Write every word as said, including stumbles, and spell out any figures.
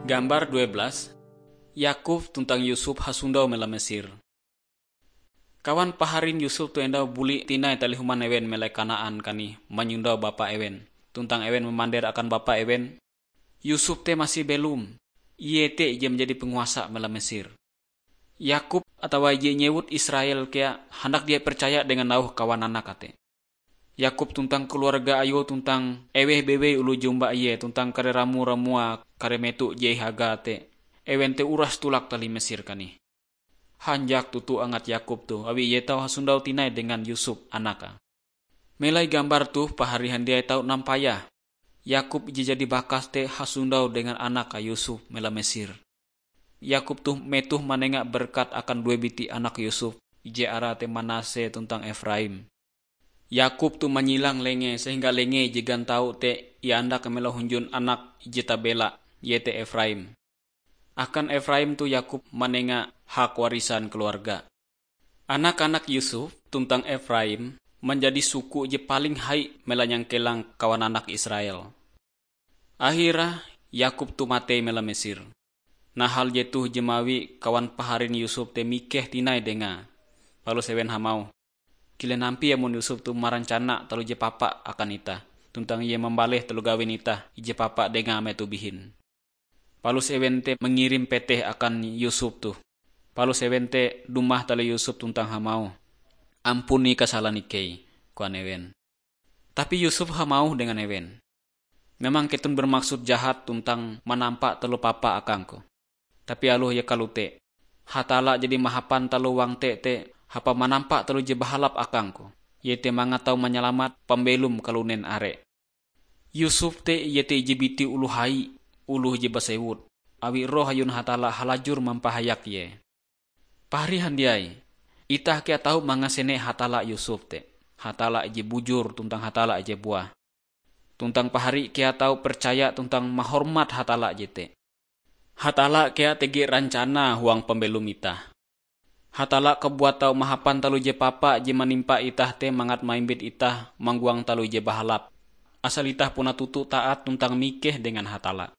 Gambar dua belas, Yakub tuntang Yusuf hasondau mela Mesir. Kawan paharin Yusuf tu endau buli tinai talih human ewen mela Kanaan kanih manyondau bapa ewen. Tuntang ewen mamander akan bapa ewen, "Yusuf te masih belom. Ie te ije manjadi penguasa mela Mesir." Yakub atawa ije inyewut Israel kea handak dia percaya dengan auh kawan anak te. Yakub tuntang keluarga ayue tuntang eweh bewei oloh jumba ie tuntang kare ramo-ramua kare meto je ihaga te, ewen te uras tulak talih Mesir kanih. Hanjak toto angat Yakub toh awi ie tau hasondau tinai dengan Yusuf anake. Melai gambar toh pahari handiai tau nampayah. Yakub ije jadi bakas te hasondau dengan anake Yusuf mela Mesir. Yakub toh metoh manenga berkat akan due biti anak Yusuf, ije arae te Manase tuntang Efraim. Yakub toh manyilang lengee sehingga lengee je gantau te iandak mela hunjun anak ije tabela, iete Efraim. Akan Efraim toh Yakub manenga hak warisan keluarga. Anak-anak Yusuf tuntang Efraim manjadi suku je paling hai mela nyangkelang kawan anak Israel. Ahira Yakub toh matei mela Mesir. Nah, hal jetoh je mawi kawan paharin Yusuf te mikeh tinai dengae. Palus ewen hamauh, "Kilen ampie amon Yusuf toh marancana taloh je papa akan itah, tuntang ie mambaleh taloh gawin itah ije papa dengae metoh bihin." Palus ewen te mangirim peteh akan Yusuf toh. Palus ewen te dumah taloh Yusuf tuntang hamauh, "Ampuni kasalan ikei," koan ewen. Tapi Yusuf hamauh dengan ewen, "Memang keton bermaksud jahat tuntang manampa taloh papa akangku. Tapi aloh ie kalote, Hatalla jadi mahapan taloh huang te te hapan manampa taloh je bahalap akangku, iete mangat tau manyalamat pambelom kalunen are. Yusuf te iete ije biti oloh hai, oloh je basewut, awi roh ayun Hatalla halajur mampahayak ie." Pahari handiai, itah kea tau mangasene Hatalla Yusuf te, Hatalla ije bujur tuntang Hatalla ije buah. Tuntang pahari kea tau percaya tuntang mahormat Hatalla jete. Hatalla kea tege rancana huang pambelom itah. Hatalla kabuat tau mahapan taloh je papa je manimpa itah te mangat maimbit itah manggoang taloh je bahalap. Asal itah puna toto taat tuntang mikeh dengan Hatalla.